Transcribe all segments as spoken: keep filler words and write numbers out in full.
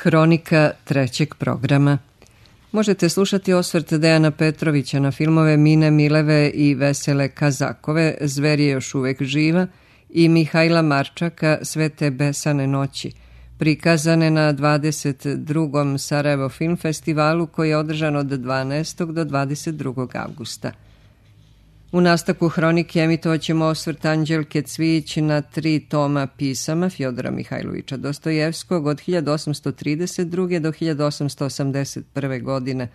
Hronika trećeg programa. Možete slušati osvrt Dejana Petrovića na filmove Mine Mileve i Vesele Kazakove, Zver je još uvek živa, i Mihajla Marčaka, Sve te besane noći, prikazane na dvadeset drugom Sarajevo Film Festivalu koji je održan od dvanaestog do dvadeset drugog avgusta. U nastavku hronike emitovat ćemo osvrt Anđelke Cvijić na tri toma pisama Fjodora Mihajlovića Dostojevskog od hiljadu osamsto trideset druge do hiljadu osamsto osamdeset prve. godine,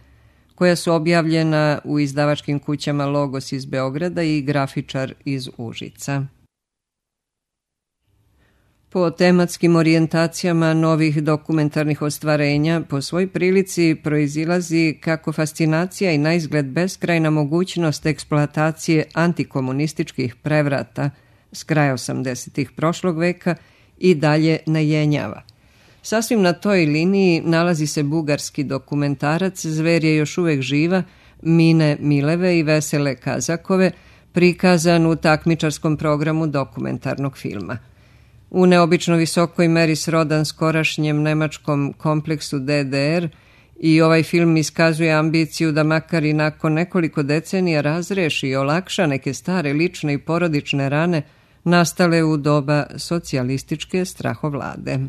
koja su objavljena u izdavačkim kućama Logos iz Beograda i Grafičar iz Užica. Po tematskim orijentacijama novih dokumentarnih ostvarenja po svoj prilici proizilazi kako fascinacija i naizgled beskrajna mogućnost eksploatacije antikomunističkih prevrata s kraja osamdesetih prošlog veka i dalje najenjava. Sasvim na toj liniji nalazi se bugarski dokumentarac Zver je još uvek živa, Mine Mileve i Vesele Kazakove, prikazan u takmičarskom programu dokumentarnog filma. U neobično visokoj meri srodan skorašnjem nemačkom kompleksu D D R i ovaj film iskazuje ambiciju da makar i nakon nekoliko decenija razreši i olakša neke stare lične i porodične rane nastale u doba socijalističke strahovlade.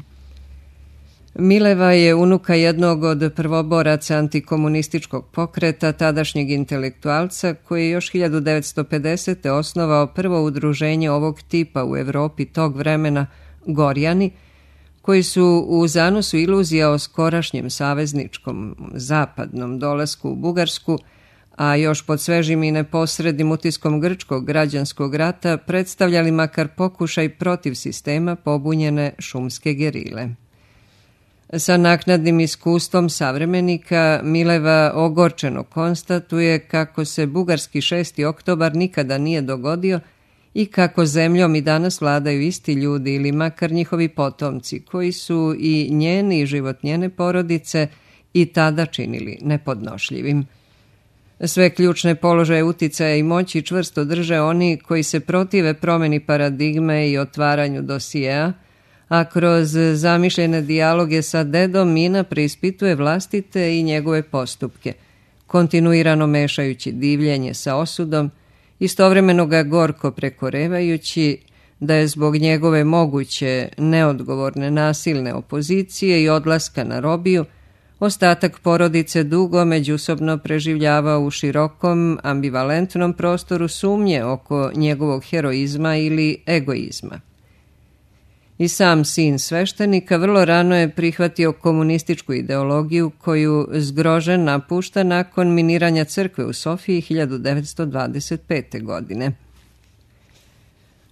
Mileva je unuka jednog od prvoboraca antikomunističkog pokreta, tadašnjeg intelektualca, koji je još hiljadu devetsto pedesete. osnovao prvo udruženje ovog tipa u Evropi tog vremena, Gorjani, koji su u zanosu iluzija o skorašnjem savezničkom zapadnom dolasku u Bugarsku, a još pod svežim i neposrednim utiskom grčkog građanskog rata predstavljali makar pokušaj protiv sistema pobunjene šumske gerile. Sa naknadnim iskustvom savremenika Mileva ogorčeno konstatuje kako se bugarski šesti oktobar nikada nije dogodio i kako zemljom i danas vladaju isti ljudi ili makar njihovi potomci koji su i njeni i život njene porodice i tada činili nepodnošljivim. Sve ključne položaje uticaja i moći čvrsto drže oni koji se protive promeni paradigme i otvaranju dosijeja, a kroz zamišljene dijaloge sa dedom Mina preispituje vlastite i njegove postupke, kontinuirano mešajući divljenje sa osudom, istovremeno ga gorko prekorevajući da je zbog njegove moguće neodgovorne nasilne opozicije i odlaska na robiju ostatak porodice dugo međusobno preživljavao u širokom, ambivalentnom prostoru sumnje oko njegovog heroizma ili egoizma. I sam sin sveštenika vrlo rano je prihvatio komunističku ideologiju koju zgrožen napušta nakon miniranja crkve u Sofiji hiljadu devetsto dvadeset pete. godine.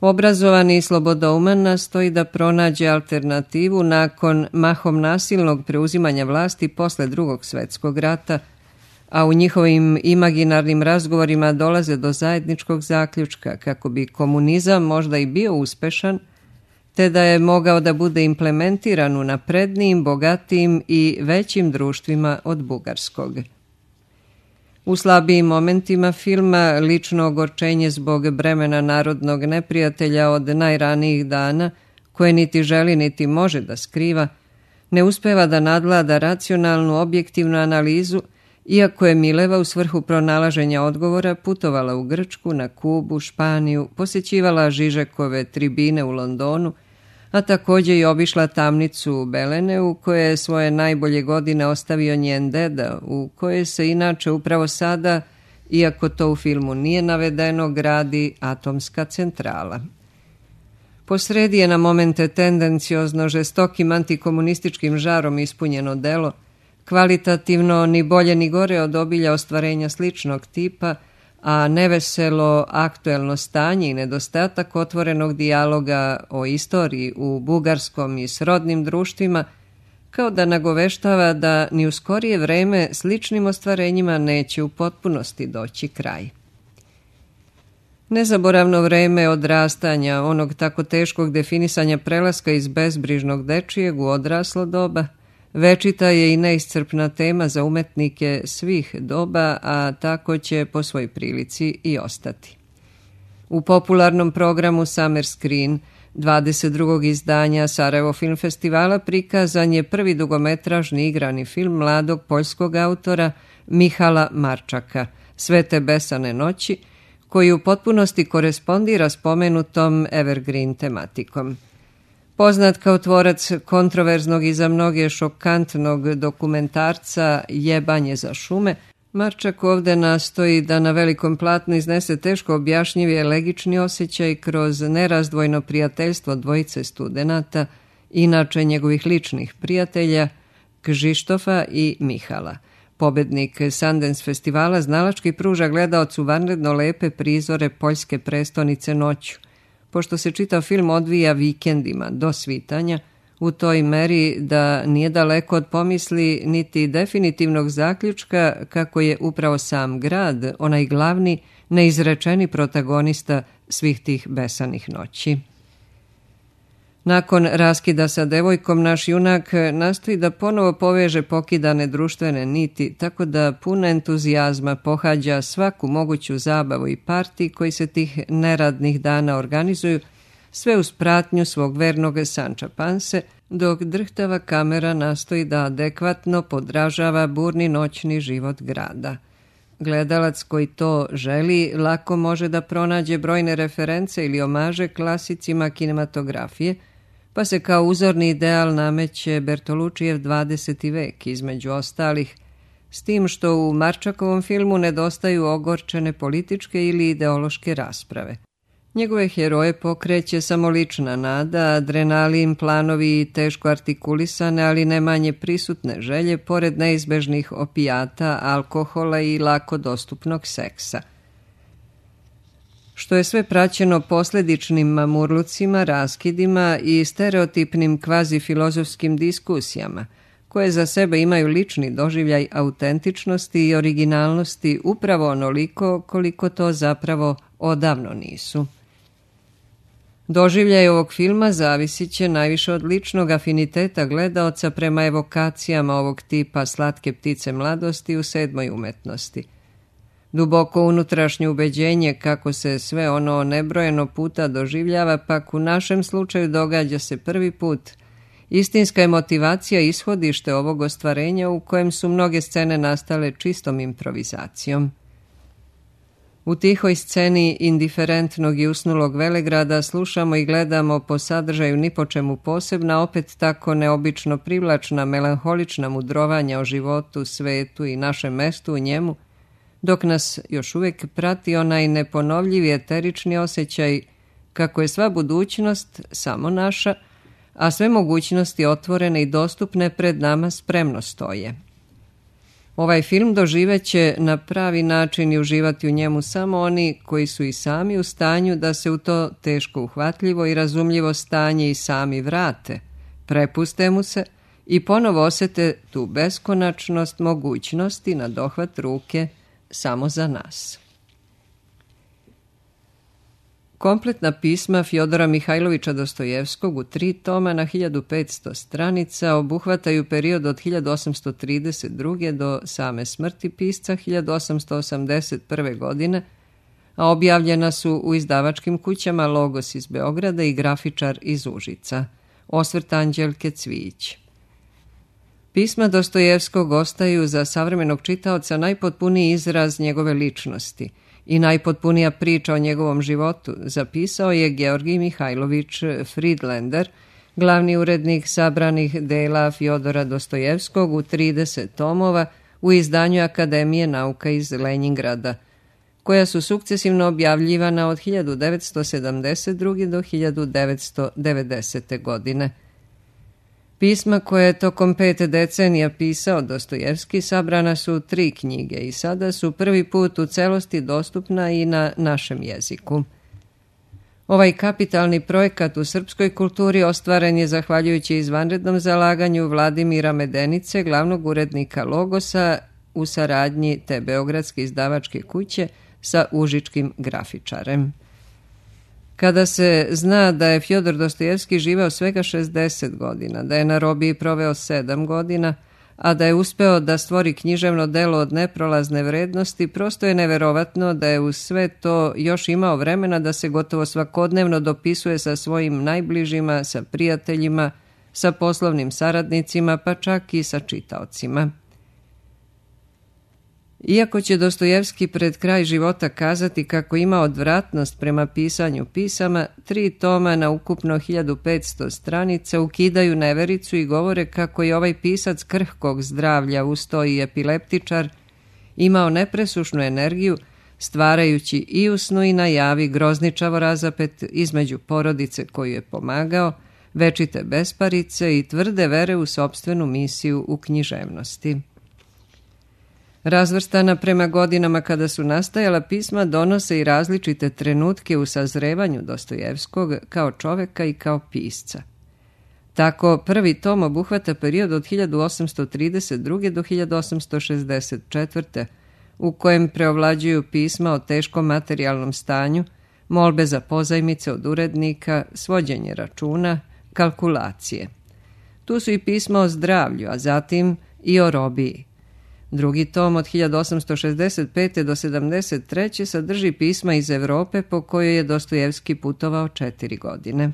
Obrazovani i slobodouman nastoji da pronađe alternativu nakon mahom nasilnog preuzimanja vlasti posle drugog svetskog rata, a u njihovim imaginarnim razgovorima dolaze do zajedničkog zaključka kako bi komunizam možda i bio uspešan, te da je mogao da bude implementiran u naprednijim, bogatijim i većim društvima od bugarskog. U slabijim momentima filma lično ogorčenje zbog bremena narodnog neprijatelja od najranijih dana, koje niti želi niti može da skriva, ne uspeva da nadvlada racionalnu, objektivnu analizu, iako je Mileva u svrhu pronalaženja odgovora putovala u Grčku, na Kubu, Španiju, posjećivala Žižekove tribine u Londonu, a također i obišla tamnicu u Beleneu, koje je svoje najbolje godine ostavio njen deda, u kojoj se inače upravo sada, iako to u filmu nije navedeno, gradi atomska centrala. Posredi je na momente tendenciozno žestokim antikomunističkim žarom ispunjeno delo, kvalitativno ni bolje ni gore od obilja ostvarenja sličnog tipa, a neveselo aktuelno stanje i nedostatak otvorenog dijaloga o istoriji u bugarskom i srodnim društvima, kao da nagoveštava da ni u skorije vreme sličnim ostvarenjima neće u potpunosti doći kraj. Nezaboravno vreme odrastanja, onog tako teškog definisanja prelaska iz bezbrižnog dečijeg u odraslo doba, večita je i neiscrpna tema za umetnike svih doba, a tako će po svoj prilici i ostati. U popularnom programu Summer Screen dvadeset drugog izdanja Sarajevo Film Festivala prikazan je prvi dugometražni igrani film mladog poljskog autora Mihala Marčaka, Sve te besane noći, koji u potpunosti korespondira spomenutom evergreen tematikom. Poznat kao tvorac kontroverznog i za mnoge šokantnog dokumentarca Jebanje za šume, Marčak ovde nastoji da na velikom platnu iznese teško objašnjivi elegični osjećaj kroz nerazdvojno prijateljstvo dvojice studenata, inače njegovih ličnih prijatelja, Kžištofa i Mihala. Pobednik Sundance festivala znalački pruža gledaocu vanredno lepe prizore poljske prestonice noću, pošto se čitav film odvija vikendima do svitanja, u toj meri da nije daleko od pomisli niti definitivnog zaključka kako je upravo sam grad onaj glavni, neizrečeni protagonista svih tih besanih noći. Nakon raskida sa devojkom, naš junak nastoji da ponovo poveže pokidane društvene niti, tako da pun entuzijazma pohađa svaku moguću zabavu i parti koji se tih neradnih dana organizuju, sve uz pratnju svog vernog Sanča Panse, dok drhtava kamera nastoji da adekvatno podražava burni noćni život grada. Gledalac koji to želi lako može da pronađe brojne reference ili omaže klasicima kinematografije, pa se kao uzorni ideal nameće Bertolučijev dvadeseti vek, između ostalih, s tim što u Marčakovom filmu nedostaju ogorčene političke ili ideološke rasprave. Njegove heroje pokreće samo lična nada, adrenalin, planovi i teško artikulisane, ali ne manje prisutne želje, pored neizbežnih opijata, alkohola i lako dostupnog seksa. Što je sve praćeno posledičnim mamurlucima, raskidima i stereotipnim kvazi-filozofskim diskusijama, koje za sebe imaju lični doživljaj autentičnosti i originalnosti upravo onoliko koliko to zapravo odavno nisu. Doživljaj ovog filma zavisit će najviše od ličnog afiniteta gledaoca prema evokacijama ovog tipa Slatke ptice mladosti u Sedmoj umetnosti. Duboko unutrašnje ubeđenje kako se sve ono nebrojeno puta doživljava, pak u našem slučaju događa se prvi put. Istinska je motivacija ishodište ovog ostvarenja u kojem su mnoge scene nastale čistom improvizacijom. U tihoj sceni indiferentnog i usnulog velegrada slušamo i gledamo po sadržaju ni po čemu posebna, opet tako neobično privlačna, melanholična mudrovanja o životu, svetu i našem mestu u njemu, dok nas još uvijek prati onaj neponovljivi eterični osjećaj kako je sva budućnost samo naša, a sve mogućnosti otvorene i dostupne pred nama spremno stoje. Ovaj film doživeće na pravi način i uživati u njemu samo oni koji su i sami u stanju da se u to teško uhvatljivo i razumljivo stanje i sami vrate, prepuste mu se i ponovo osete tu beskonačnost mogućnosti na dohvat ruke samo za nas. Kompletna pisma Fjodora Mihajlovića Dostojevskog u tri toma na hiljadu petsto stranica obuhvataju period od hiljadu osamsto trideset druge do same smrti pisca hiljadu osamsto osamdeset prve. godine, a objavljena su u izdavačkim kućama Logos iz Beograda i Grafičar iz Užica. Osvrt Anđelke Cvijić. Pisma Dostojevskog ostaju za savremenog čitaoca najpotpuniji izraz njegove ličnosti i najpotpunija priča o njegovom životu, zapisao je Georgij Mihajlović Friedlander, glavni urednik sabranih dela Fjodora Dostojevskog u trideset tomova u izdanju Akademije nauka iz Lenjingrada, koja su sukcesivno objavljivana od hiljadu devetsto sedamdeset druge. do hiljadu devetsto devedesete. godine. Pisma koje je tokom pet decenija pisao Dostojevski sabrana su u tri knjige i sada su prvi put u celosti dostupna i na našem jeziku. Ovaj kapitalni projekat u srpskoj kulturi ostvaren je zahvaljujući izvanrednom zalaganju Vladimira Medenice, glavnog urednika Logosa, u saradnji te beogradske izdavačke kuće sa užičkim grafičarem. Kada se zna da je Fjodor Dostojevski živeo svega šezdeset godina, da je na robiji proveo sedam godina, a da je uspeo da stvori književno delo od neprolazne vrednosti, prosto je neverovatno da je uz sve to još imao vremena da se gotovo svakodnevno dopisuje sa svojim najbližima, sa prijateljima, sa poslovnim saradnicima, pa čak i sa čitaocima. Iako će Dostojevski pred kraj života kazati kako ima odvratnost prema pisanju pisama, tri toma na ukupno hiljadu petsto stranica ukidaju nevericu i govore kako je ovaj pisac krhkog zdravlja, uz to i epileptičar, imao nepresušnu energiju, stvarajući i u snu i na javi grozničavo razapet između porodice koju je pomagao, večite besparice i tvrde vere u sopstvenu misiju u književnosti. Razvrstana prema godinama kada su nastajala, pisma donose i različite trenutke u sazrevanju Dostojevskog kao čoveka i kao pisca. Tako prvi tom obuhvata period od hiljadu osamsto trideset druge. do hiljadu osamsto šezdeset četvrte. u kojem preovlađuju pisma o teškom materijalnom stanju, molbe za pozajmice od urednika, svođenje računa, kalkulacije. Tu su i pisma o zdravlju, a zatim i o robiji. Drugi tom od hiljadu osamsto šezdeset pete. do sedamdeset treće. sadrži pisma iz Evrope po kojoj je Dostojevski putovao četiri godine.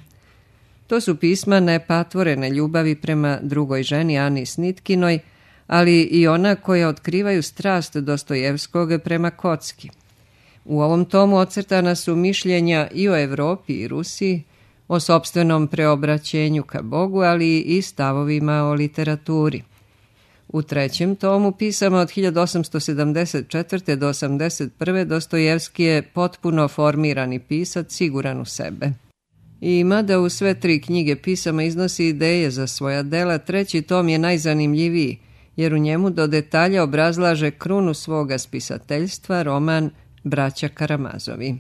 To su pisma nepatvorene ljubavi prema drugoj ženi Ani Snitkinoj, ali i ona koja otkrivaju strast Dostojevskog prema kocki. U ovom tomu ocrtana su mišljenja i o Evropi i Rusiji, o sopstvenom preobraćenju ka Bogu, ali i stavovima o literaturi. U trećem tomu, pisama od hiljadu osamsto sedamdeset četvrte. do osamdeset prve. Dostojevski je potpuno formirani pisac, siguran u sebe. I mada u sve tri knjige pisama iznosi ideje za svoja dela, treći tom je najzanimljiviji, jer u njemu do detalja obrazlaže krunu svoga spisateljstva, roman Braća Karamazovi.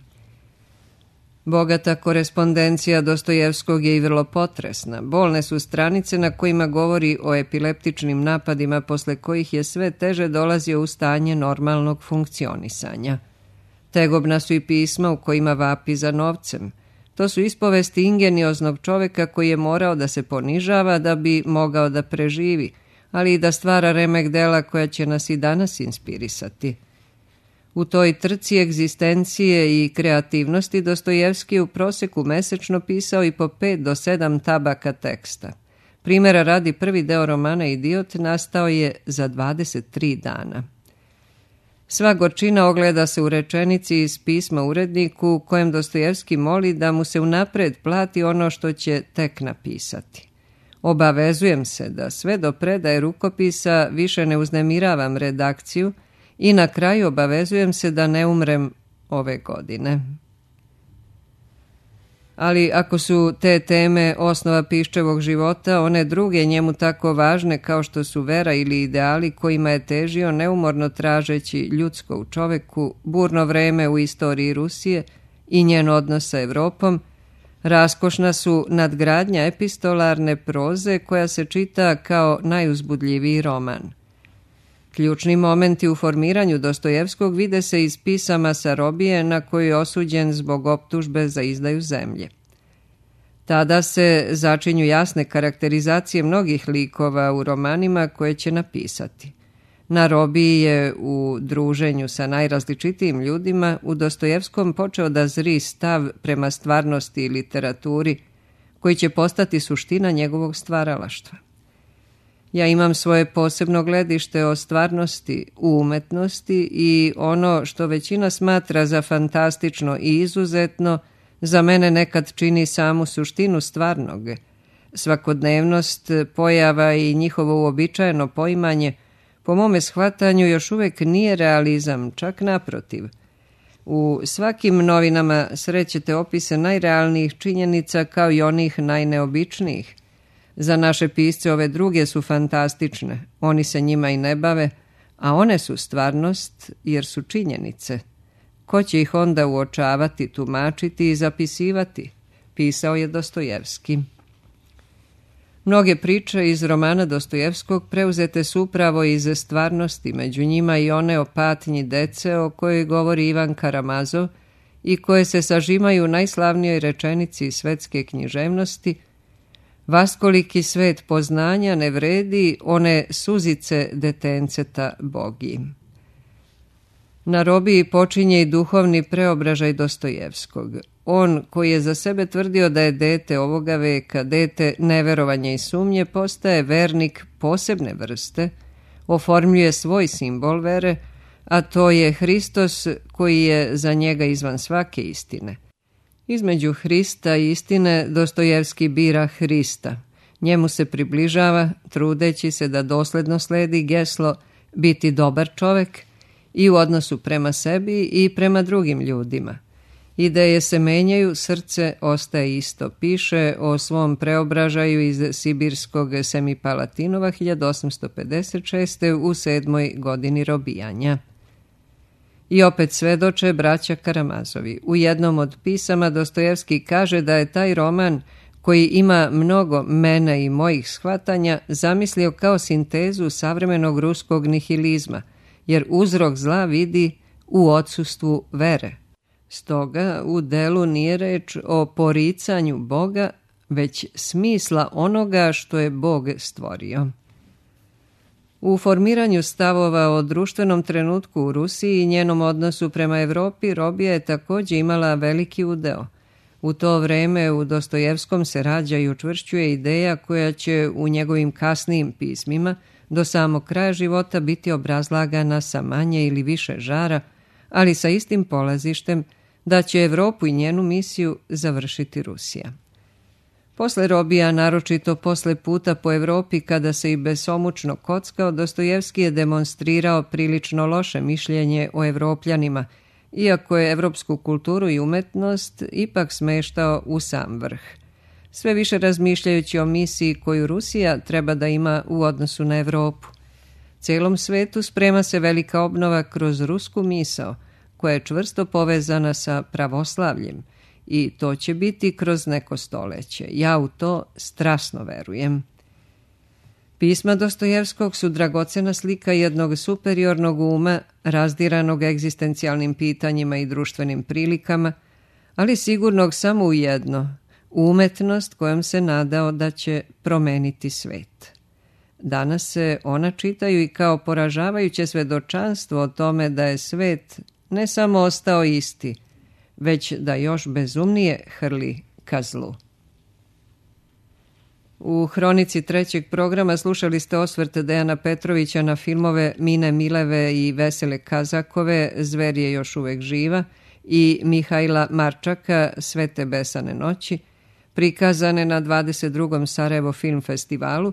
Bogata korespondencija Dostojevskog je i vrlo potresna. Bolne su stranice na kojima govori o epileptičnim napadima posle kojih je sve teže dolazio u stanje normalnog funkcionisanja. Tegobna su i pisma u kojima vapi za novcem. To su ispovesti ingenioznog čoveka koji je morao da se ponižava da bi mogao da preživi, ali i da stvara remek dela koja će nas i danas inspirisati. U toj trci egzistencije i kreativnosti Dostojevski je u proseku mesečno pisao i po pet do sedam tabaka teksta. Primjera radi, prvi deo romana Idiot nastao je za dvadeset tri dana. Sva gorčina ogleda se u rečenici iz pisma uredniku u kojem Dostojevski moli da mu se unapred plati ono što će tek napisati. Obavezujem se da sve do predaje rukopisa više ne uznemiravam redakciju i na kraju obavezujem se da ne umrem ove godine. Ali ako su te teme osnova piščevog života, one druge njemu tako važne kao što su vera ili ideali kojima je težio neumorno tražeći ljudsko u čoveku, burno vreme u istoriji Rusije i njen odnos sa Evropom, raskošna su nadgradnja epistolarne proze koja se čita kao najuzbudljiviji roman. Ključni momenti u formiranju Dostojevskog vide se iz pisama sa robije na koju je osuđen zbog optužbe za izdaju zemlje. Tada se začinju jasne karakterizacije mnogih likova u romanima koje će napisati. Na robiji je u druženju sa najrazličitijim ljudima u Dostojevskom počeo da zri stav prema stvarnosti i literaturi koji će postati suština njegovog stvaralaštva. Ja imam svoje posebno gledište o stvarnosti u umetnosti i ono što većina smatra za fantastično i izuzetno, za mene nekad čini samu suštinu stvarnog. Svakodnevnost pojava i njihovo uobičajeno poimanje, po mome shvatanju, još uvek nije realizam, čak naprotiv. U svakim novinama srećete opise najrealnijih činjenica kao i onih najneobičnijih. Za naše pisce ove druge su fantastične, oni se njima i ne bave, a one su stvarnost jer su činjenice. Ko će ih onda uočavati, tumačiti i zapisivati, pisao je Dostojevski. Mnoge priče iz romana Dostojevskog preuzete su upravo iz stvarnosti, među njima i one o patnji dece o kojoj govori Ivan Karamazov i koje se sažimaju u najslavnijoj rečenici svetske književnosti: Vaskoliki svet poznanja ne vredi one suzice detenceta bogi. Na robiji počinje i duhovni preobražaj Dostojevskog. On, koji je za sebe tvrdio da je dete ovoga veka, dete neverovanja i sumnje, postaje vernik posebne vrste, oformljuje svoj simbol vere, a to je Hristos koji je za njega izvan svake istine. Između Hrista i istine Dostojevski bira Hrista. Njemu se približava, trudeći se da dosledno sledi geslo biti dobar čovek i u odnosu prema sebi i prema drugim ljudima. Ideje se menjaju, srce ostaje isto. Piše o svom preobražaju iz sibirskog Semipalatinova hiljadu osamsto pedeset šeste. u sedmoj godini robijanja. I opet svedoče braća Karamazovi. U jednom od pisama Dostojevski kaže da je taj roman, koji ima mnogo mena i mojih shvatanja, zamislio kao sintezu savremenog ruskog nihilizma, jer uzrok zla vidi u odsustvu vere. Stoga u delu nije reč o poricanju Boga, već smisla onoga što je Bog stvorio. U formiranju stavova o društvenom trenutku u Rusiji i njenom odnosu prema Evropi robija je također imala veliki udeo. U to vreme u Dostojevskom se rađa i učvršćuje ideja koja će u njegovim kasnijim pismima do samog kraja života biti obrazlagana sa manje ili više žara, ali sa istim polazištem da će Evropu i njenu misiju završiti Rusija. Posle robija, naročito posle puta po Evropi kada se i besomučno kockao, Dostojevski je demonstrirao prilično loše mišljenje o Evropljanima, iako je evropsku kulturu i umetnost ipak smeštao u sam vrh. Sve više razmišljajući o misiji koju Rusija treba da ima u odnosu na Evropu. Celom svetu sprema se velika obnova kroz rusku misao, koja je čvrsto povezana sa pravoslavljem, i to će biti kroz neko stoleće. Ja u to strasno verujem. Pisma Dostojevskog su dragocena slika jednog superiornog uma, razdiranog egzistencijalnim pitanjima i društvenim prilikama, ali sigurnog samo u jedno, umetnost kojom se nadao da će promeniti svet. Danas se ona čitaju i kao poražavajuće svedočanstvo o tome da je svet ne samo ostao isti, već da još bezumnije hrli ka zlu. U hronici trećeg programa slušali ste osvrt Dejana Petrovića na filmove Mine Mileve i Vesele Kazakove, Zver je još uvek živa, i Mihajla Marčaka, Svete besane noći, prikazane na dvadeset drugom Sarajevo film festivalu,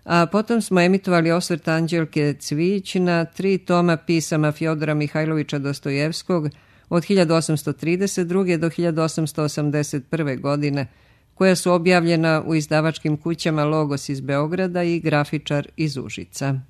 a potom smo emitovali osvrt Anđelke Cvijić na tri toma pisama Fjodora Mihajlovića Dostojevskog od hiljadu osamsto trideset druge. do hiljadu osamsto osamdeset prve. godine, koja su objavljena u izdavačkim kućama Logos iz Beograda i Grafičar iz Užica.